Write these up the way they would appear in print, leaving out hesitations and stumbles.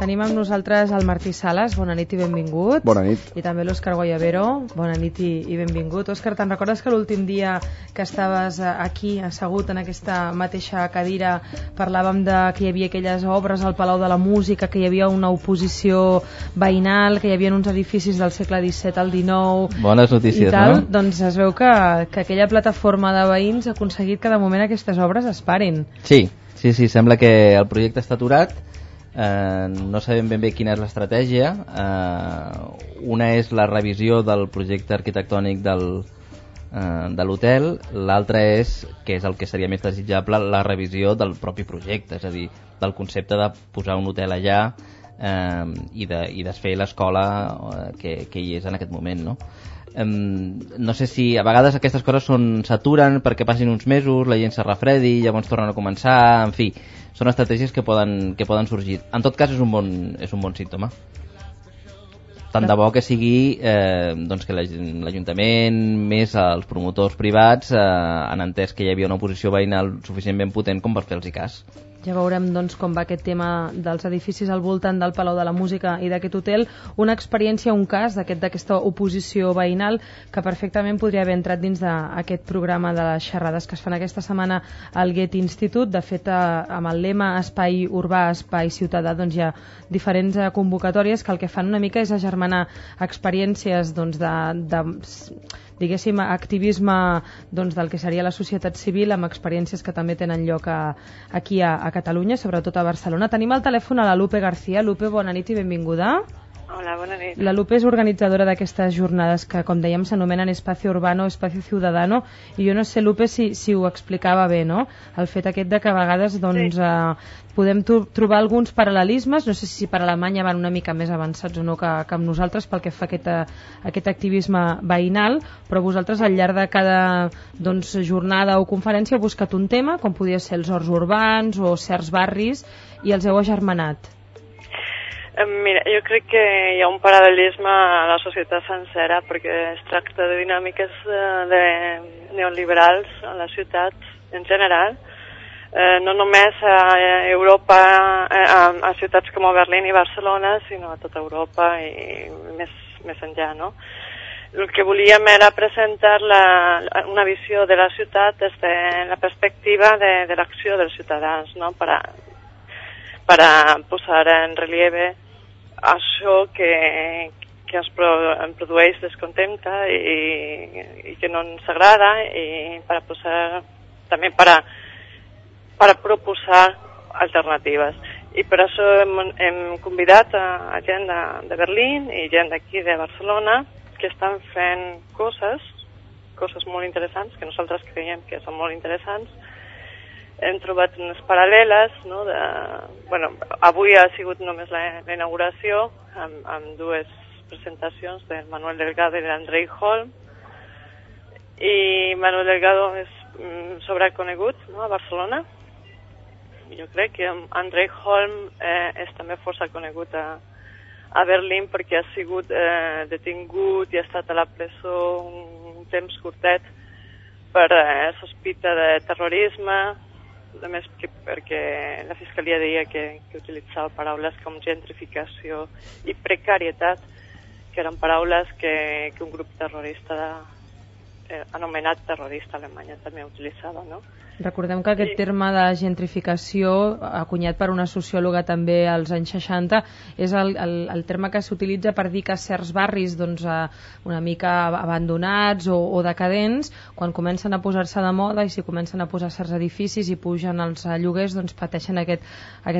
Tenim amb nosaltres el Martí Sales, bona nit i benvingut. Bona nit. I també l'Òscar Guayabero, bona nit i benvingut. Òscar, te'n recordes que l'últim dia que estaves aquí, assegut en aquesta mateixa cadira, parlàvem de que hi havia aquelles obres al Palau de la Música, que hi havia una oposició veïnal, que hi havia uns edificis del segle XVII al XIX... Bones notícies, i tal, no? Doncs es veu que aquella plataforma de veïns ha aconseguit que de moment aquestes obres es parin. Sí, sembla que el projecte està aturat. No sabem ben bé quina és l'estratègia. Una és la revisió del projecte arquitectònic de l'hotel, l'altra és, que és el que seria més desitjable, la revisió del propi projecte, és a dir, del concepte de posar un hotel allà i desfer l'escola que hi és en aquest moment, no? No sé si a vegades aquestes coses s'aturen perquè passin uns mesos, la gent se refredi, llavors tornen a començar, en fi, són estratègies que poden sorgir. En tot cas és un bon símptoma. Tant de bo que sigui doncs que l'Ajuntament més els promotors privats han entès que hi havia una oposició veïnal suficientment potent com per fer-los cas. Ja veurem doncs, com va aquest tema dels edificis al voltant del Palau de la Música i d'aquest hotel. Una experiència, un cas d'aquesta oposició veïnal que perfectament podria haver entrat dins d'aquest programa de les xerrades que es fan aquesta setmana al Goethe Institut. De fet, amb el lema Espai Urbà, Espai Ciutadà, doncs hi ha diferents convocatòries que el que fan una mica és agermanar experiències doncs, diguéssim, activisme doncs, del que seria la societat civil amb experiències que també tenen lloc aquí a Catalunya, sobretot a Barcelona. Tenim al telèfon a la Lupe García. Lupe, bona nit i benvinguda. Hola, bona nit. La Lupe és organitzadora d'aquestes jornades que, com dèiem, s'anomenen Espacio Urbano, Espacio Ciudadano, i jo no sé, Lupe, si ho explicava bé, no? El fet aquest de que a vegades doncs, podem trobar alguns paral·lelismes, no sé si per Alemanya van una mica més avançats o no que amb nosaltres pel que fa a aquest activisme veïnal, però vosaltres al llarg de cada jornada o conferència heu buscat un tema, com podia ser els horts urbans o certs barris, i els heu agermanat. Mira, jo crec que hi ha un paral·lelisme a la societat sencera perquè es tracta de dinàmiques neoliberals a la ciutat en general, no només a Europa, a ciutats com Berlín i Barcelona, sinó a tota Europa i més enllà, no? El que volíem era presentar una visió de la ciutat des de la perspectiva de l'acció dels ciutadans, no? Para posar en relieve això que ens produeix descontenta i que no ens agrada, i també per proposar alternatives. I per això hem convidat a gent de Berlín i gent d'aquí de Barcelona que estan fent coses molt interessants, que nosaltres creiem que són molt interessants. Hem trobat unes paral·leles, no? Avui ha sigut només la inauguració amb dues presentacions del Manuel Delgado i de l'Andrei Holm, i Manuel Delgado és sobreconegut, no? A Barcelona. Jo crec que Andrei Holm és també força conegut a Berlín perquè ha sigut detingut i ha estat a la presó un temps curtet per sospita de terrorisme, només perquè la Fiscalia deia que utilitzava paraules com gentrificació i precarietat, que eren paraules que un grup terrorista anomenat terrorista a Alemanya també utilitzava, no? Recordem que aquest terme de gentrificació, acunyat per una sociòloga també als anys 60, és el terme que s'utilitza per dir que certs barris una mica abandonats o decadents, quan comencen a posar-se de moda i si comencen a posar certs edificis i pugen els lloguers, doncs pateixen aquest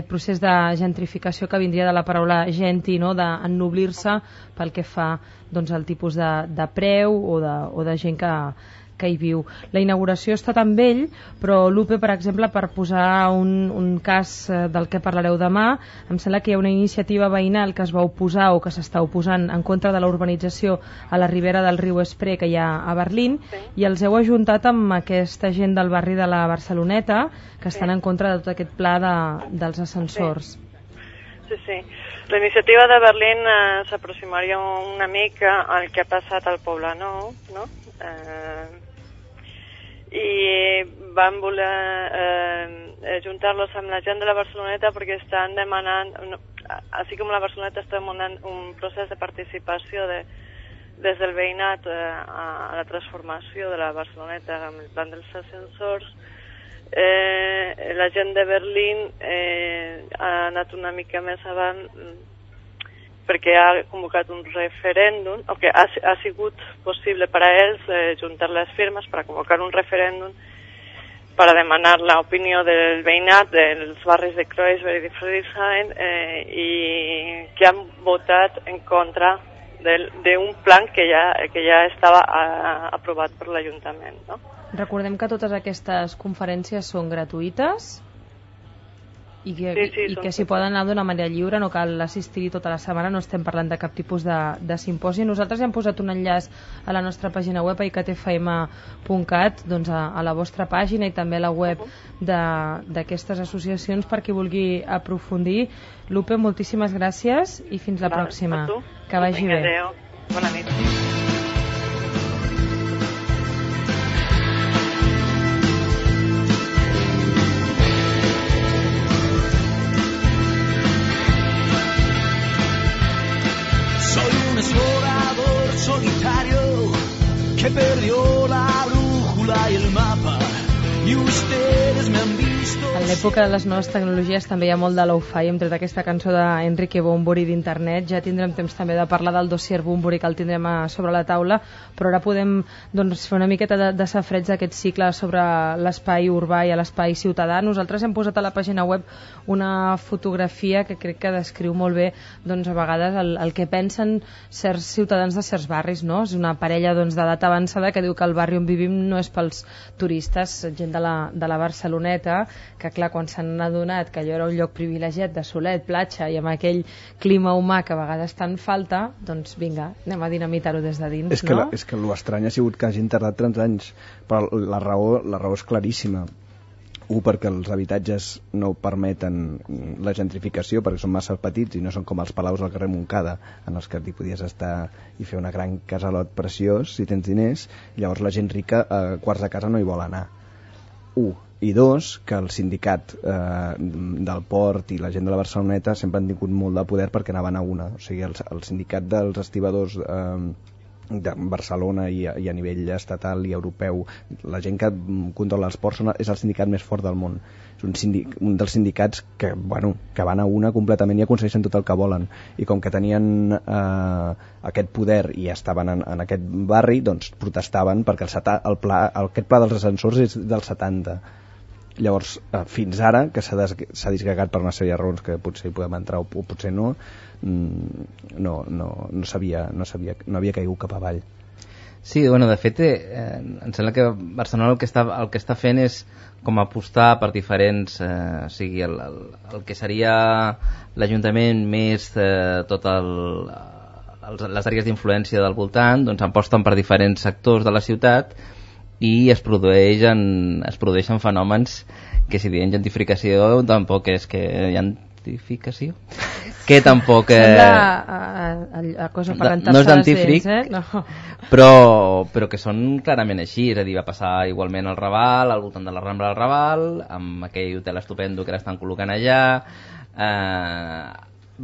procés de gentrificació que vindria de la paraula genti, no? d'ennoblir-se pel que fa al tipus de preu o de gent que hi viu. La inauguració ha estat amb ell, però Lupe, per exemple, per posar un cas del que parlareu demà, em sembla que hi ha una iniciativa veïnal que es va oposar o que s'està oposant en contra de la urbanització a la ribera del riu Spree que hi ha a Berlín, i els heu ajuntat amb aquesta gent del barri de la Barceloneta que estan en contra de tot aquest pla dels ascensors. Sí. La iniciativa de Berlín s'aproximaria una mica al que ha passat al Poble Nou, no? I van voler juntar-los amb la gent de la Barceloneta perquè estan demanant així com la Barceloneta estem en un procés de participació des del veïnat a la transformació de la Barceloneta amb el plan dels ascensors, la gent de Berlín ha anat una mica més avant perquè ha convocat un referèndum, o que ha sigut possible per a ells juntar les firmes per a convocar un referèndum per a demanar l'opinió del veïnat dels barris de Kreuzberg i de Friedrichshain i que han votat en contra d'un plan que ja estava aprovat per l'Ajuntament, no? Recordem que totes aquestes conferències són gratuïtes i que s'hi poden anar d'una manera lliure, no cal assistir-hi tota la setmana, no estem parlant de cap tipus de simposi. Nosaltres hem posat un enllaç a la nostra pàgina web, a icatfm.cat, doncs a la vostra pàgina i també a la web d'aquestes associacions per qui vulgui aprofundir. Lupe, moltíssimes gràcies i fins la pròxima. Que vagi bé. Adéu. Bona nit. Explorador solitario que perdió la brújula y el mapa y ustedes me han visto. En l'època de les noves tecnologies també hi ha molt de lo-fi. Hem tret aquesta cançó d'Enrique Bunbury d'internet. Ja tindrem temps també de parlar del dossier Bunbury, que el tindrem sobre la taula, però ara podem fer una miqueta de safreig d'aquest cicle sobre l'espai urbà i l'espai ciutadà. Nosaltres hem posat a la pàgina web una fotografia que crec que descriu molt bé a vegades el que pensen certs ciutadans de certs barris, no? És una parella d'edat avançada que diu que el barri on vivim no és pels turistes, gent de la Barceloneta, que clar, quan s'han adonat que allò era un lloc privilegiat de solet, platja i amb aquell clima humà que a vegades tant falta, doncs vinga, anem a dinamitar-ho des de dins, no? És que l'estrany ha sigut que hagin tardat 30 anys, però la raó és claríssima. Perquè els habitatges no permeten la gentrificació, perquè són massa petits i no són com els palaus al carrer Montcada, en els que t'hi podies estar i fer una gran casalot preciós si tens diners. Llavors la gent rica a quarts de casa no hi vol anar. I dos, que el sindicat del Port i la gent de la Barceloneta sempre han tingut molt de poder perquè anaven a una. O sigui, el sindicat dels estibadors de Barcelona i a nivell estatal i europeu, la gent que controla els ports és el sindicat més fort del món. És un dels sindicats que van a una completament i aconsegueixen tot el que volen, i com que tenien aquest poder i estaven en aquest barri, doncs protestaven perquè aquest pla dels ascensors és del 70. Llavors, fins ara, que s'ha disgregat per una sèrie de raons que potser hi podem entrar o potser no, no havia caigut cap avall. Sí, de fet, em sembla que Barcelona el que està fent és com apostar per diferents, o sigui, el que seria l'Ajuntament més tot les àrees d'influència del voltant, doncs aposten per diferents sectors de la ciutat i es produeixen fenòmens que, si diem gentrificació, tampoc és que gentrificació que tampoc no és dentífric, no. Però que són clarament així. És a dir, va passar igualment al Raval, al voltant de la Rambla del Raval, amb aquell hotel estupendo que l'estan col·locant allà.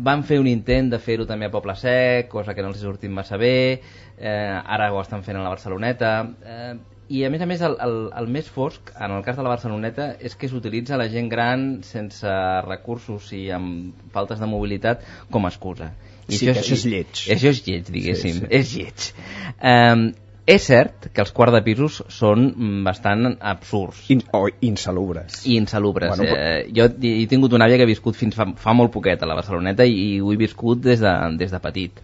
Van fer un intent de fer-ho també a Poble Sec, cosa que no els ha sortit massa bé. Ara ho estan fent a la Barceloneta. I a més, el més fosc en el cas de la Barceloneta és que s'utilitza la gent gran sense recursos i amb faltes de mobilitat com a excusa. Sí, això és lleig. Això és lleig, diguéssim. Sí. És lleig. És cert que els quarts de pisos són bastant absurds. O insalubres. Jo he tingut una àvia que ha viscut fins fa molt poquet a la Barceloneta i ho he viscut des de petit.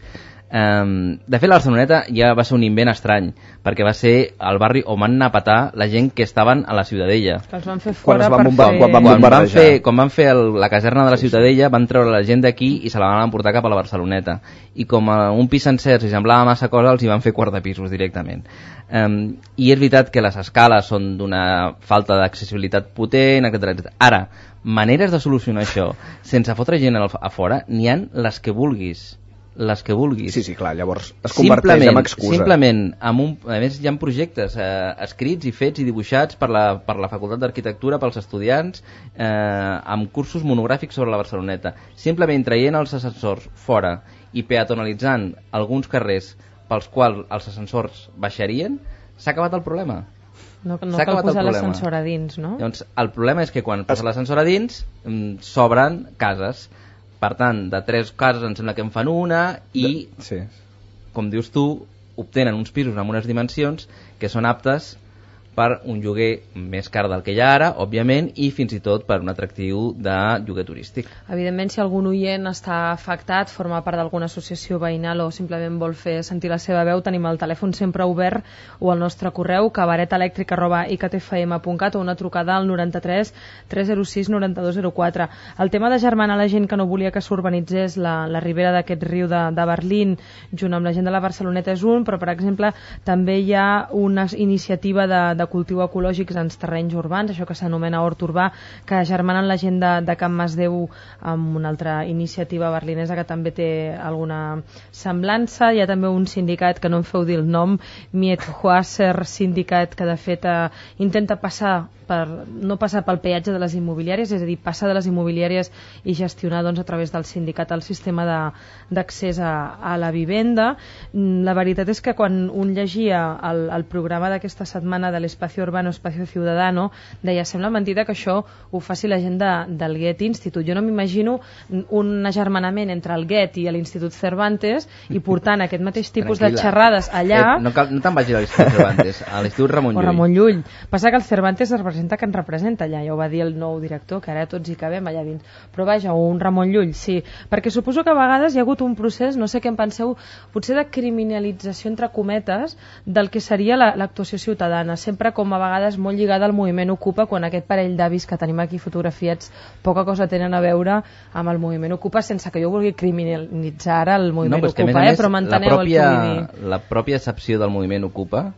De fet, la Barceloneta ja va ser un invent estrany, perquè va ser el barri on van anar a petar la gent que estaven a la Ciutadella. Que els van fer fora quan van fer la caserna de la Ciutadella, van treure la gent d'aquí i se la van emportar cap a la Barceloneta, i com un pis sencer si semblava massa cosa, els hi van fer quart de pisos directament. I és veritat que les escales són d'una falta d'accessibilitat potent, etc. Ara, maneres de solucionar això sense fotre gent a fora n'hi han les que vulguis. les que vulguis. Sí, clar, llavors es converteix en excusa. Simplement, a més hi ha projectes escrits i fets i dibuixats per la Facultat d'Arquitectura, pels estudiants, amb cursos monogràfics sobre la Barceloneta. Simplement traient els ascensors fora i peatonalitzant alguns carrers pels quals els ascensors baixarien, s'ha acabat el problema. No cal posar l'ascensor a dins, no? Doncs el problema és que quan posa l'ascensor a dins s'obren cases. Per tant, de 3 cases em sembla que en fan una i, com dius tu, obtenen uns pisos amb unes dimensions que són aptes per un lloguer més car del que hi ha ara, òbviament, i fins i tot per un atractiu de lloguer turístic. Evidentment, si algun oient està afectat, forma part d'alguna associació veïnal o simplement vol fer sentir la seva veu, tenim el telèfon sempre obert o el nostre correu cabaretelèctric@ictfm.cat o una trucada al 93 306 9204. El tema de germanar la gent que no volia que s'urbanitzés la ribera d'aquest riu de Berlín junt amb la gent de la Barceloneta és un, però per exemple també hi ha una iniciativa de cultiu ecològics en terrenys urbans, això que s'anomena hort urbà, que germanen la gent de Can Masdeu amb una altra iniciativa berlinesa que també té alguna semblança. Hi ha també un sindicat que no em feu dir el nom, Miethoaser Sindicat, que de fet intenta no passar pel peatge de les immobiliàries, és a dir, passar de les immobiliàries i gestionar doncs, a través del sindicat el sistema d'accés a la vivenda. La veritat és que quan un llegia el programa d'aquesta setmana de l'Espacio Urbano, Espacio Ciudadano, deia, sembla mentida que això ho faci la gent del Goethe Institut. Jo no m'imagino un agermanament entre el Goethe i l'Institut Cervantes i portant aquest mateix tipus de xerrades allà... No te'n vagis a l'Institut Cervantes, a l'Institut Ramon Llull. O Ramon Llull. Passa que el Cervantes representa que ens representa allà, ja ho va dir el nou director, que ara tots hi cabem allà dins. Però vaja, un Ramon Llull, sí. Perquè suposo que a vegades hi ha hagut un procés, no sé què en penseu, potser de criminalització entre cometes del que seria l'actuació ciutadana, sempre com a vegades molt lligada al moviment Ocupa, quan aquest parell d'avis que tenim aquí fotografiats poca cosa tenen a veure amb el moviment Ocupa, sense que jo vulgui criminalitzar ara el moviment Ocupa, però m'enteneu el que vull dir. La pròpia accepció del moviment Ocupa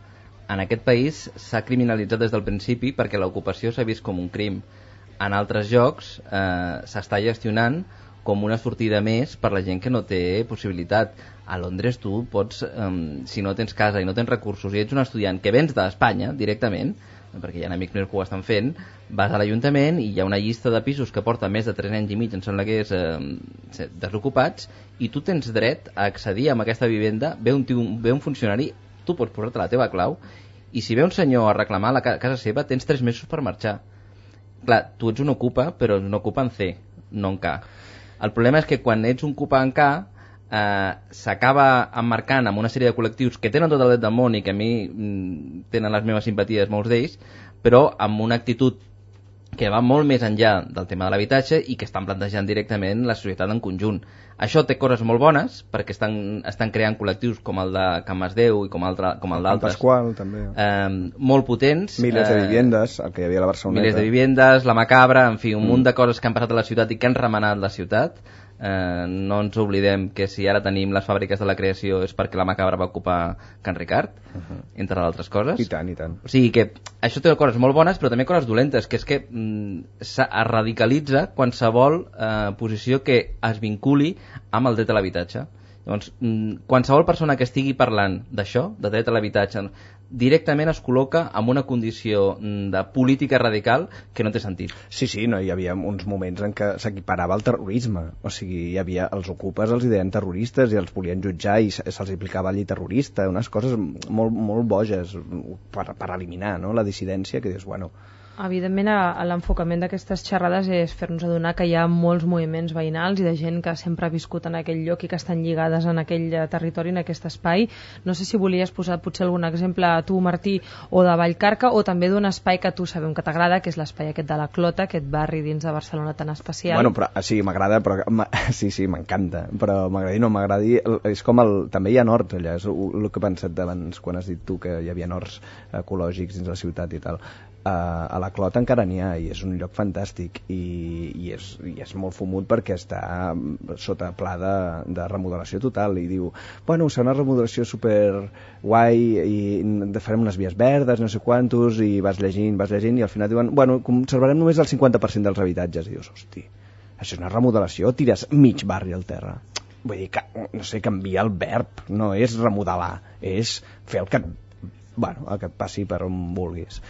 en aquest país s'ha criminalitzat des del principi perquè l'ocupació s'ha vist com un crim. En altres llocs s'està gestionant com una sortida més per la gent que no té possibilitat. A Londres tu pots, si no tens casa i no tens recursos i ets un estudiant que vens d'Espanya directament, perquè hi ha amics meus que ho estan fent, vas a l'Ajuntament i hi ha una llista de pisos que porta més de 3 anys i mig, em sembla que és desocupats, i tu tens dret a accedir a aquesta vivenda, ve un funcionari, tu pots posar-te la teva clau, i si ve un senyor a reclamar a la casa seva, tens 3 mesos per marxar. Clar, tu ets un ocupa, però un ocupa en C, no en K. El problema és que quan ets un ocupa en K, s'acaba emmarcant amb una sèrie de col·lectius que tenen tot el dret del món i que a mi tenen les meves simpaties molts d'ells, però amb una actitud que va molt més enllà del tema de l'habitatge i que estan plantejant directament la societat en conjunt. Això té coses molt bones perquè estan creant col·lectius com el de Can Masdeu i com el d'altres. Pasqual, també. Molt potents. Milers de vivendes, el que hi havia a la Barceloneta. Milers de vivendes, la Macabra, en fi, un munt de coses que han passat a la ciutat i que han remenat la ciutat. No ens oblidem que si ara tenim les fàbriques de la creació és perquè la Macabra va ocupar Can Ricard, entre d'altres coses. I tant, i tant. O sigui que això té coses molt bones però també coses dolentes, que és que es radicalitza qualsevol posició que es vinculi amb el dret a l'habitatge. Llavors, qualsevol persona que estigui parlant d'això, de dret a l'habitatge, directament es col·loca en una condició de política radical que no té sentit. Sí, no, hi havia uns moments en què s'equiparava al terrorisme. O sigui, hi havia els ocupes, els deien terroristes i els volien jutjar i se'ls aplicava la llei terrorista, unes coses molt, molt boges per eliminar, no?, la dissidència, que dius, bueno... Evidentment, l'enfocament d'aquestes xerrades és fer-nos adonar que hi ha molts moviments veïnals i de gent que sempre ha viscut en aquell lloc i que estan lligades en aquell territori, en aquest espai. No sé si volies posar potser algun exemple a tu, Martí, o de Vallcarca, o també d'un espai que tu sabem que t'agrada, que és l'espai aquest de la Clota, aquest barri dins de Barcelona tan especial. Bueno, però sí, m'agrada, però sí, m'encanta, però m'agradi o no m'agradi, és com també hi ha horts allà, és el que he pensat abans quan has dit tu que hi havia horts ecològics dins la ciutat i tal. A la Clota encara n'hi ha i és un lloc fantàstic i és molt fumut perquè està sota pla de remodelació total i diu, bueno, serà una remodelació super guai i farem unes vies verdes, no sé quantos, i vas llegint i al final diuen, bueno, conservarem només el 50% dels habitatges i dius, hosti, això és una remodelació, tires mig barri al terra. vull dir, no sé, canviar el verb, no és remodelar, és fer el que et passi per on vulguis.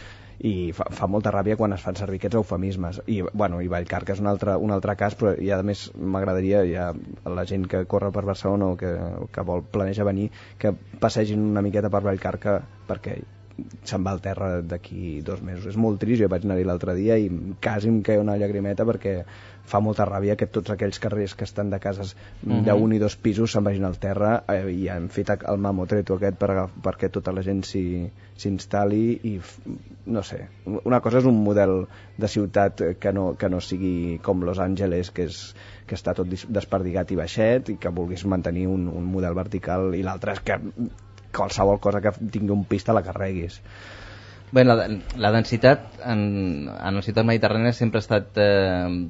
I fa molta ràbia quan es fan servir aquests eufemismes. I Vallcarca és un altre cas, però a més m'agradaria la gent que corre per Barcelona o que planeja venir, que passegin una miqueta per Vallcarca, perquè se'n va al terra d'aquí 2 mesos. És molt trist, jo vaig anar-hi l'altre dia i quasi em queia una llagrimeta, perquè fa molta ràbia que tots aquells carrers que estan de cases d'1 i 2 pisos se'n vagin al terra, i han fet el mamotreto aquest perquè tota la gent s'instal·li. I no sé, una cosa és un model de ciutat que no sigui com Los Angeles, que està tot desperdigat i baixet, i que vulguis mantenir un model vertical, i l'altre és que qualsevol cosa que tingui un pis te la carreguis. Bé, la densitat en la ciutat mediterrània sempre ha estat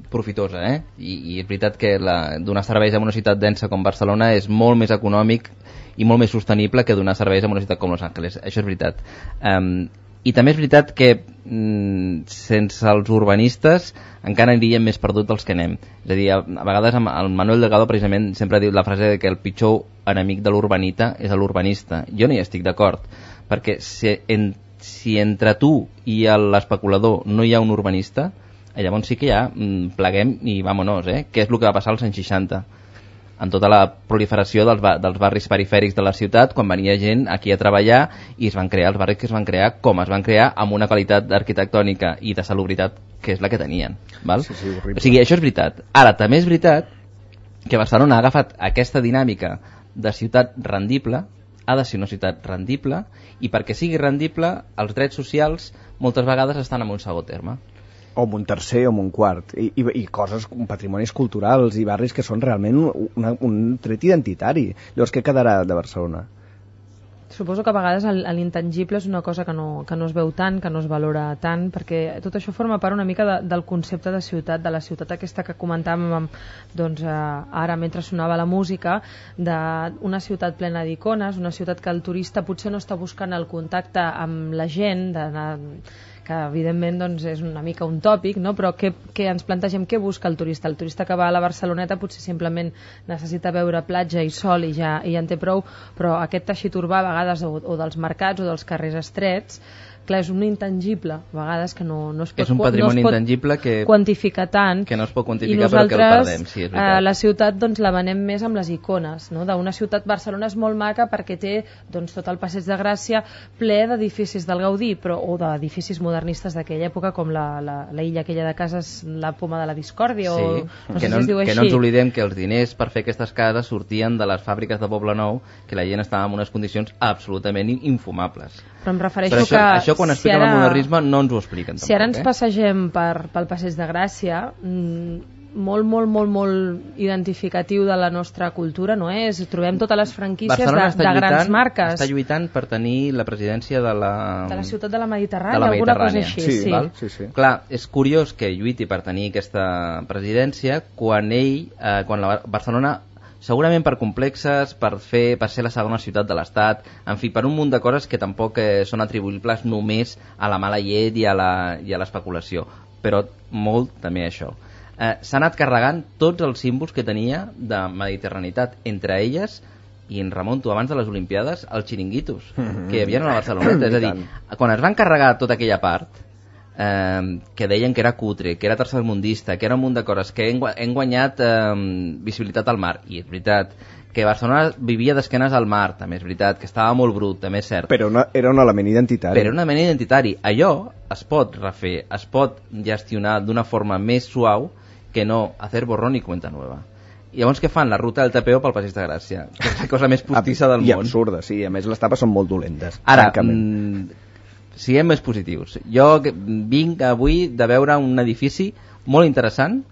profitosa, i és veritat que donar serveis a una ciutat densa com Barcelona és molt més econòmic i molt més sostenible que donar serveis a una ciutat com Los Angeles. Això és veritat. I també és veritat que sense els urbanistes encara aniríem més perduts dels que anem. És a dir, a vegades el Manuel Delgado precisament sempre diu la frase de que el pitjor enemic de l'urbanita és l'urbanista. Jo no hi estic d'acord, perquè si entre tu i l'especulador no hi ha un urbanista, llavors sí que ja pleguem i vámonos, que és el que va passar als anys 60, amb tota la proliferació dels barris perifèrics de la ciutat, quan venia gent aquí a treballar, i es van crear els barris que es van crear com es van crear, amb una qualitat arquitectònica i de salubritat que és la que tenien, val? Sí, horrible. O sigui, això és veritat. Ara, també és veritat que Barcelona ha agafat aquesta dinàmica de ciutat rendible, ha de ser una ciutat rendible, i perquè sigui rendible els drets socials moltes vegades estan en un segon terme, o en un tercer o en un quart, i coses, patrimonis culturals i barris que són realment un tret identitari. Llavors, què quedarà de Barcelona? Suposo que a vegades l'intangible és una cosa que no es veu tant, que no es valora tant, perquè tot això forma part una mica del concepte de ciutat, de la ciutat aquesta que comentàvem ara mentre sonava la música, d'una ciutat plena d'icones, una ciutat que el turista potser no està buscant el contacte amb la gent, que evidentment és una mica un tòpic, no? Però què ens plantegem, què busca el turista? El turista que va a la Barceloneta potser simplement necessita veure platja i sol i ja en té prou, però aquest teixit urbà a vegades, o dels mercats o dels carrers estrets, clar, és un intangible, a vegades que no es pot, és un patrimoni intangible quantificar tant, que no es pot quantificar però que el perdem, sí, és veritat. La ciutat la venem més amb les icones, no? D'una ciutat, Barcelona és molt maca perquè té tot el passeig de Gràcia ple d'edificis del Gaudí, o d'edificis modernistes d'aquella època, com la illa aquella de cases, la Poma de la Discòrdia, sí, o no sé si es diu així. Que no ens oblidem que els diners per fer aquestes cases sortien de les fàbriques de Poblenou, que la gent estava en unes condicions absolutament infumables. Però em refereixo que això quan expliquen el modernisme no ens ho expliquen tampoc, si ara ens passegem pel passeig de Gràcia, molt identificatiu de la nostra cultura, no és? Trobem totes les franquícies de grans marques. Està lluitant per tenir la presidència de la ciutat de la Mediterrània, alguna cosa així. Sí. Clar, és curiós que lluiti per tenir aquesta presidència quan la Barcelona, segurament per complexes, per ser la segona ciutat de l'Estat, en fi, per un munt de coses que tampoc són atribuïbles només a la mala llet i a l'especulació, però molt també això. S'ha anat carregant tots els símbols que tenia de mediterranitat, entre elles, i en remonto abans de les Olimpiades, els xiringuitos que hi havia a la Barceloneta. És a dir, quan es van carregar tota aquella part, que deien que era cutre, que era tercermundista, que era un munt de coses, que hem guanyat visibilitat al mar, i és veritat que Barcelona vivia d'esquenes al mar, també és veritat, que estava molt brut, també és cert, però era un element identitari. Allò es pot refer, es pot gestionar d'una forma més suau que no hacer borrón y cuenta nueva. I llavors què fan? La ruta del tapeo pel Passeig de Gràcia, que és la cosa més postissa del món. I absurda, sí, a més les tapes són molt dolentes. Ara, siguem més positius. Jo vinc avui de veure un edifici molt interessant,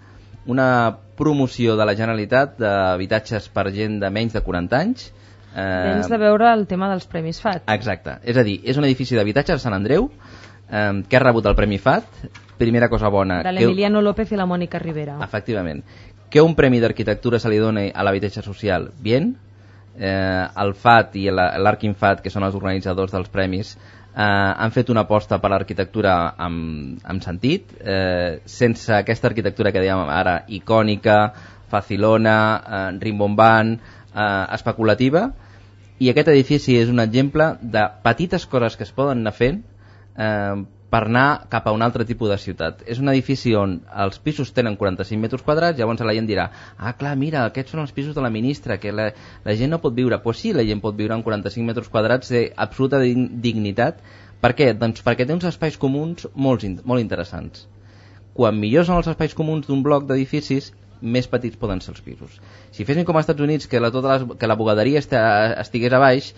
una promoció de la Generalitat d'habitatges per gent de menys de 40 anys. Vens de veure el tema dels Premis FAT. Exacte, és a dir, és un edifici d'habitatge a Sant Andreu que ha rebut el Premi FAT. Primera cosa bona, de l'Emiliano López i la Mònica Rivera. Efectivament. Que un premi d'arquitectura se li doni a l'habitatge social, bien. El FAT i l'Arquinfat, que són els organitzadors dels premis, han fet una aposta per l'arquitectura amb sentit, sense aquesta arquitectura que dèiem ara icònica, facilona, rimbombant, especulativa, i aquest edifici és un exemple de petites coses que es poden anar fent per anar cap a un altre tipus de ciutat. És un edifici on els pisos tenen 45 metres quadrats, llavors la gent dirà, clar, mira, aquests són els pisos de la ministra, que la gent no pot viure. Pues sí, la gent pot viure en 45 metres quadrats d'absoluta dignitat. Per què? Doncs perquè té uns espais comuns molt interessants. Quan millors són els espais comuns d'un bloc d'edificis, més petits poden ser els pisos. Si fessin com als Estats Units, que la bugaderia estigués a baix,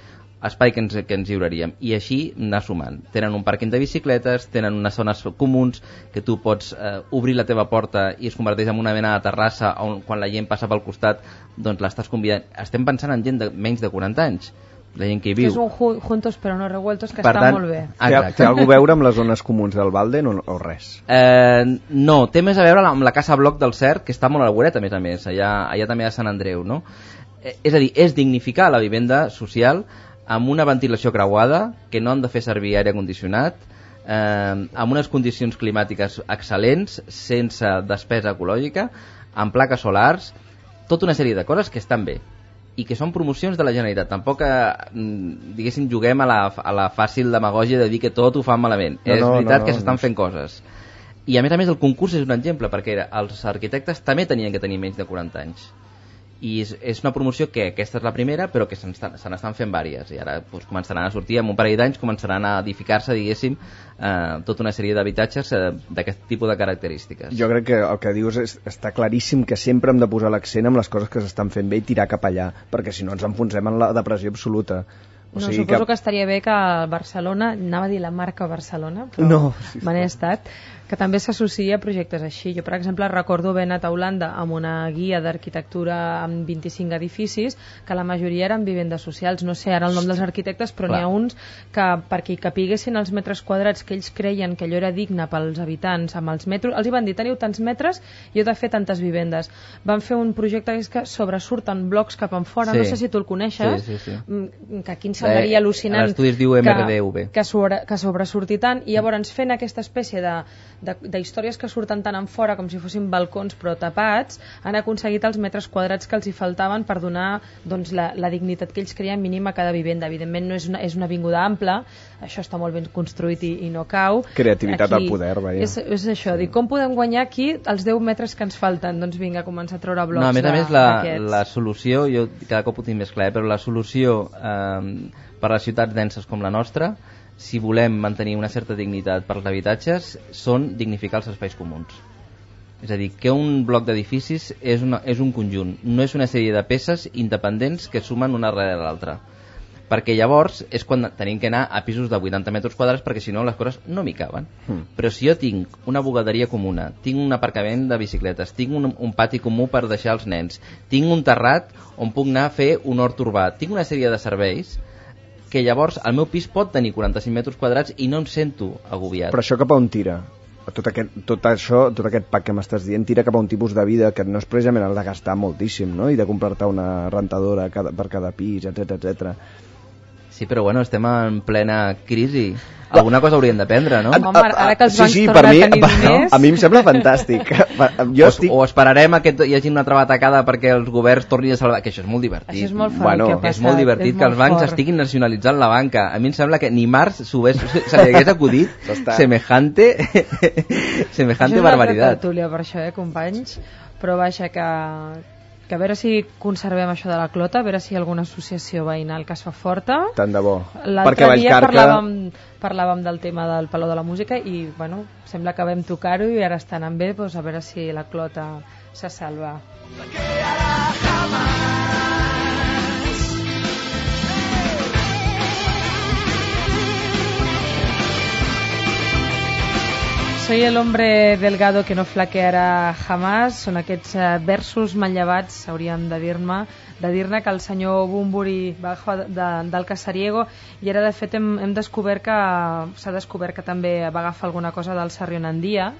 espai que ens lliuraríem, i així anar sumant. Tenen un pàrquing de bicicletes, tenen unes zones comuns que tu pots obrir la teva porta i es converteix en una mena de terrassa on quan la gent passa pel costat doncs l'estàs convidant. Estem pensant en gent de menys de 40 anys, la gent que hi viu. És un juntos però no revueltos que està molt bé. Té alguna a veure amb les zones comuns del Valden o res? No, té més a veure amb la Casa Bloc del Cert, que està molt a Guret, a més, allà també a Sant Andreu, no? És a dir, és dignificar la vivenda social amb una ventilació creuada, que no han de fer servir aire condicionat, amb unes condicions climàtiques excel·lents, sense despesa ecològica, amb plaques solars, tota una sèrie de coses que estan bé i que són promocions de la Generalitat. Tampoc, diguéssim, juguem a la fàcil demagògia de dir que tot ho fan malament. És veritat que s'estan fent coses. I a més el concurs és un exemple, perquè els arquitectes també tenien que tenir menys de 40 anys. I és una promoció que aquesta és la primera, però que se n'estan fent vàries, i ara començaran a sortir, en un parell d'anys començaran a edificar-se, diguéssim, tota una sèrie d'habitatges d'aquest tipus de característiques. Jo crec que el que dius està claríssim, que sempre hem de posar l'accent en les coses que s'estan fent bé i tirar cap allà, perquè si no ens enfonsem en la depressió absoluta. Suposo que estaria bé que Barcelona, anava a dir la marca Barcelona, però me n'he estat, que també s'associa a projectes així. Jo, per exemple, recordo haver anat a Holanda amb una guia d'arquitectura amb 25 edificis, que la majoria eren vivendes socials. No sé ara el nom dels arquitectes, però n'hi ha uns que, perquè hi capiguessin els metres quadrats que ells creien que allò era digne pels habitants, amb els metros, els hi van dir, teniu tants metres i heu de fer tantes vivendes. Van fer un projecte que sobresurten blocs cap en fora, no sé si tu el coneixes, que aquí ens semblaria al·lucinant l'estudi es diu MRDV, que sobresurti tant, i llavors fent aquesta espècie de històries que surten tant en fora com si fossin balcons però tapats, han aconseguit els metres quadrats que els hi faltaven per donar doncs, la dignitat que ells creien mínima a cada vivenda. Evidentment no és una avinguda ampla, això està molt ben construït i no cau. Creativitat al poder, vaja. És això, dir, com podem guanyar aquí els 10 metres que ens falten? Doncs vinga, començar a treure blocs. No, a més la solució, jo cada cop ho tinc més clar, però la solució per a les ciutats denses com la nostra, si volem mantenir una certa dignitat per als habitatges, són dignificar els espais comuns. És a dir, que un bloc d'edificis és un conjunt, no és una sèrie de peces independents que sumen una darrere l'altra. Perquè llavors és quan tenim que anar a pisos de 80 metres quadrats, perquè si no les coses no m'hi caben. Però si jo tinc una bugaderia comuna, tinc un aparcament de bicicletes, tinc un pati comú per deixar els nens, tinc un terrat on puc anar a fer un hort urbà, tinc una sèrie de serveis que llavors el meu pis pot tenir 45 metres quadrats i no em sento agobiat. Però això cap a on tira? Tot aquest pack que m'estàs dient tira cap a un tipus de vida que no és precisament el de gastar moltíssim, no? I de comprar-te una rentadora per cada pis, etc. Sí, però bueno, estem en plena crisi. Alguna cosa haurien d'aprendre, no? Home, ara que els bancs per tornen a tenir diners... A mi em sembla fantàstic. O esperarem a que hi hagi una altra batacada perquè els governs tornin a salvar... Que això és molt divertit. Això és molt fort que ha passat. És molt divertit que els bancs estiguin nacionalitzant la banca. A mi em sembla que ni Marx se li hagués acudit semejante barbaritat. Això és una altra tertúlia per això, companys? Però vaja, que a veure si conservem això de la clota, a veure si hi ha alguna associació veïnal que es fa forta. Tant de bo. L'altre dia parlàvem del tema del Palau de la Música i bueno, sembla que vam tocar-ho i ara està anant bé, doncs a veure si la clota se salva. Soy el hombre delgado que no flaquearà jamás. Són aquests versos manllevats, hauríem de dir-ne que el senyor Bunbury va agafar del Casariego, i ara de fet hem descobert que s'ha descobert que també va agafar alguna cosa del Sarrionandia,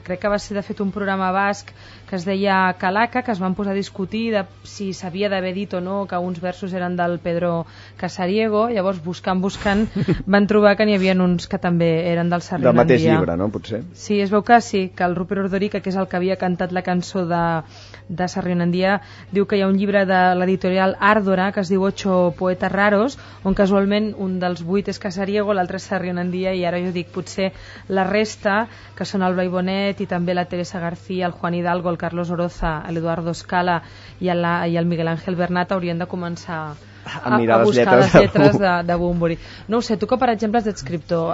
crec que va ser de fet un programa basc que es deia Calaca, que es van posar a discutir de si s'havia d'haver dit o no que uns versos eren del Pedro Casariego. Llavors buscant van trobar que n'hi havia uns que també eren del Sarrión Del mateix Andía. llibre, no? Potser. Sí, es veu que sí, que el Rupert Ordorica, que és el que havia cantat la cançó de Sarrión Andía, diu que hi ha un llibre de l'editorial Árdora que es diu Ocho poetas raros, on casualment un dels 8 és Casariego, l'altre és Sarrión Andía, i ara jo dic, potser la resta, que són el Blai Bonet i també la Teresa García, el Juan Hidalgo, el Carlos Oroza, l'Eduardo Scala i el Miguel Ángel Bernat haurien de començar a buscar les lletres de Bunbury. No ho sé, tu que per exemple ets escriptor,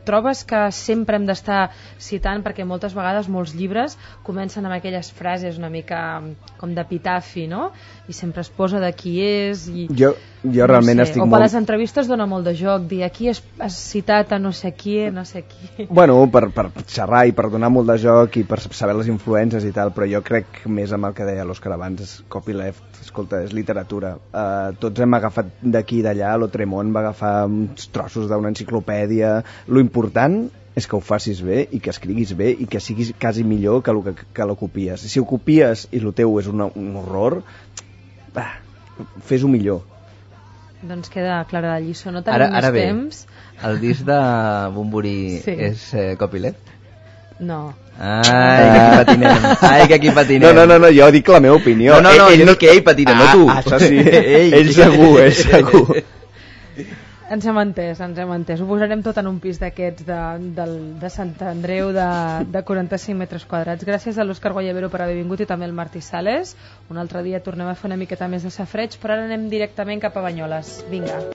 trobes que sempre hem d'estar citant, perquè moltes vegades molts llibres comencen amb aquelles frases una mica com d'epitafi, no? I sempre es posa de qui és i... Jo realment estic molt... O per les entrevistes dona molt de joc, dir aquí has citat a no sé qui, no sé qui... Bueno, per xerrar i per donar molt de joc i per saber les influències i tal, però jo crec més amb el que deia l'Òscar abans, copyleft, escolta, és literatura. Tots hem agafat d'aquí i d'allà, l'Otremont va agafar uns trossos d'una enciclopèdia. Lo important és que ho facis bé i que escriguis bé i que siguis quasi millor que lo copies. Si ho copies i lo teu és un horror, fes-ho millor. Doncs queda clara la lliçó, no tenim més temps. El disc de Bunbury és copyleft? No. Ai, que aquí patinem. No, jo dic la meva opinió. No, jo dic que ell patina, no tu. Això sí, ell segur. Ens hem entès. Ho posarem tot en un pis d'aquests de Sant Andreu de 45 metres quadrats. Gràcies a l'Òscar Guayabero per haver vingut i també al Martí Sales. Un altre dia tornem a fer una miqueta més de safreig, però ara anem directament cap a Banyoles. Vinga.